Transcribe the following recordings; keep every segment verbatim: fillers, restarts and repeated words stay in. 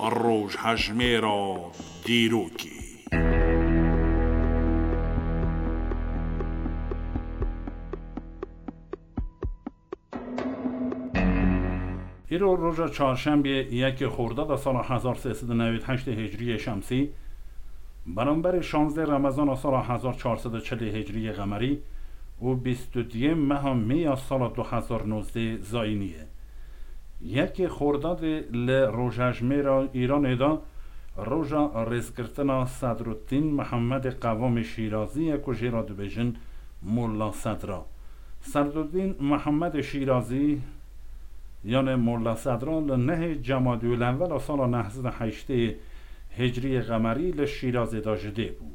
Rojhejmêra dîrokê. Îro roja çarşembiyê yekê Xordada sala hezar sê sed û newêd heştê Hicriyê Şemsî, beramberî şazdê Remezana sala hezar çar sed û çilê Hicriyê Qemerî û bîst û duyê meha Mê ya sala du hezar nozdê Zayînî ye. Yekê Xordadê li rojhejmêra Îranê de roja rêzgirtina Sedruddîn Mihemedê Qewamê Şîrazî ye ku jê re dibêjin Molla Sedra. Sedruddîn Mihemedê Şîrazî, yanê Molla Sedra, li nehê Cemadîulewwela sala neh sed û heştê Hicriyê Qemerî li Şîrazê de ji dê bû.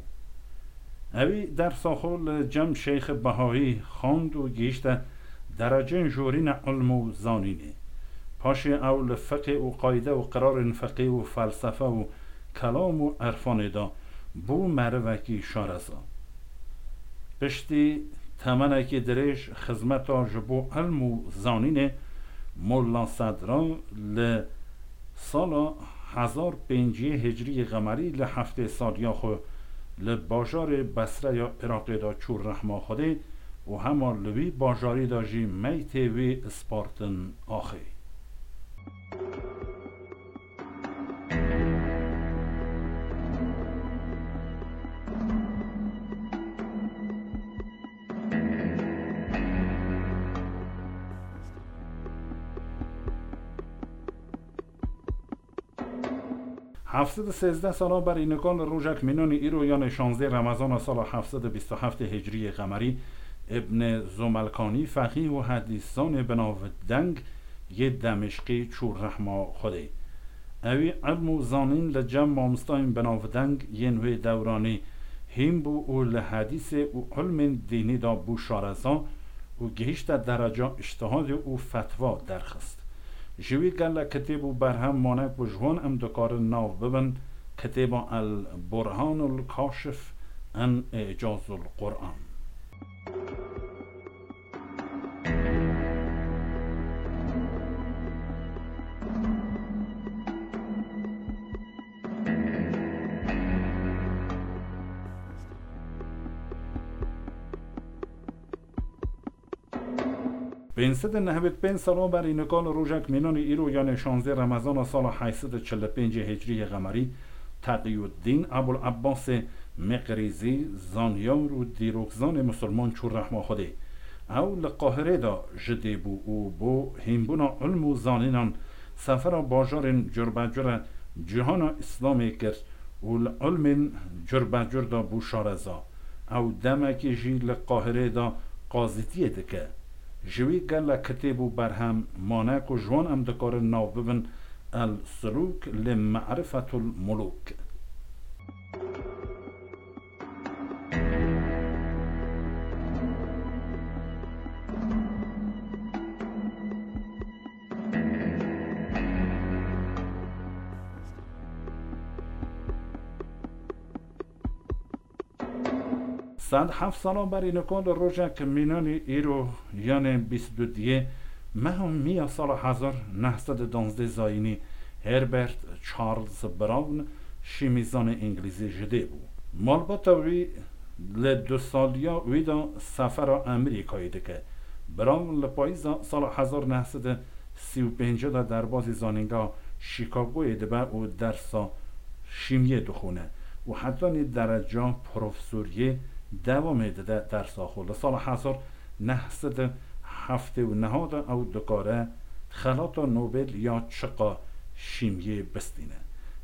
Ewî dersa xwe li cem Şeyxê Behayî xwend û gihîşte dereceyên jorîne ilm û zanînê. Paşê ew li fiqê û qayde û qirarên fiqê û felsefe û kelam û irfanê de bû merivekî şareza. Piştî temenekî dirêj xizmeta ji bo ilm û zanînê, Molla Sedra li sala hezar pênciyê Hicriyê Qemerî li heftê saliya xwe li bajarê Besreya Iraqê de çû rehma Xwedê û hema li wî bajarî de jî meytê wî spartin axê. Heft sed û sêzdeh sala berî nika li rojek mînanî îro, yanê şazdê Remezana sala heft sed û bîst û heftê Hicriyê Qemerî, Îbnê Zomelkanî, feqîh û hedîszanê binavdeng yê Demişqî çû rehma Xwedê. Ewî ilm û zanîn li cem mamostayên binavdeng yên wê dewranî hîn bû û li hedîsê û ilmên dînî de bû şareza û gihîşte dereca îctihadê û fetwa derxist. Ji wî gelek kitêb û berhem mane ku ji wan em dikarin nav bibin, kitêba El Burhanul Kaşif an Îcazul Quran. Pênc sed û nehwêd pênc sala berî nika li rojek mînanî îro, yanê şazdê Remezana sala heyt sed û çil û pêncê Hicriyê Qemerî, Teqiyuddîn Ebul Ebbasê Meqrîzî, zanyar û dîrokzanê misilman çû rehma Xwedê. Ew li Qahirê de ji dê bû û bo hînbûna ilm û zanînan sefera bajarên curbecur e cîhana Îslamê kir û li ilmên curbecur de bû şareza. Ew demekî jî li Qahirê de qazîtiyê dike. Ji wî gelek kitêb û berhem mane ku ji wan em dikarin nav bibin El Sulûk li Me'rifetul Mulûk. Sed heft sala berî nika li rojek mînanî îro, yanê bîst û duyê meha Mî ya sala hezar neh sed û danzdeh Zayînî, Herbert Charles Brown, şîmîzanê îngilîzî ji dê bû. Malbata wî li du saliya wî de sefera Amerîkayê dike. Brown li payîza sala hezar neh sed û sî û pênc de derbazî zanîngeha Chicagoyê dibe û dersa şîmiyê dixwîne û hetanî dereca profesoriyê dewamê dide dersa xwe. Li sala hezar neh sed û heftê û neh de ew dikare xelata Nobel ya çiqa şîmiyê bistîne.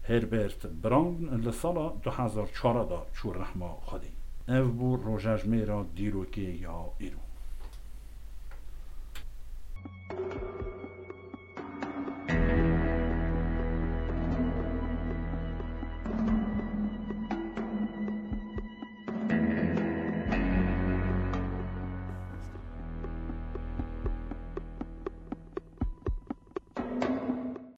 Herbert Brown li sala du hezar çar de çû rehma Xwedê. Ev bû rojejmêra dîrokê ya îro.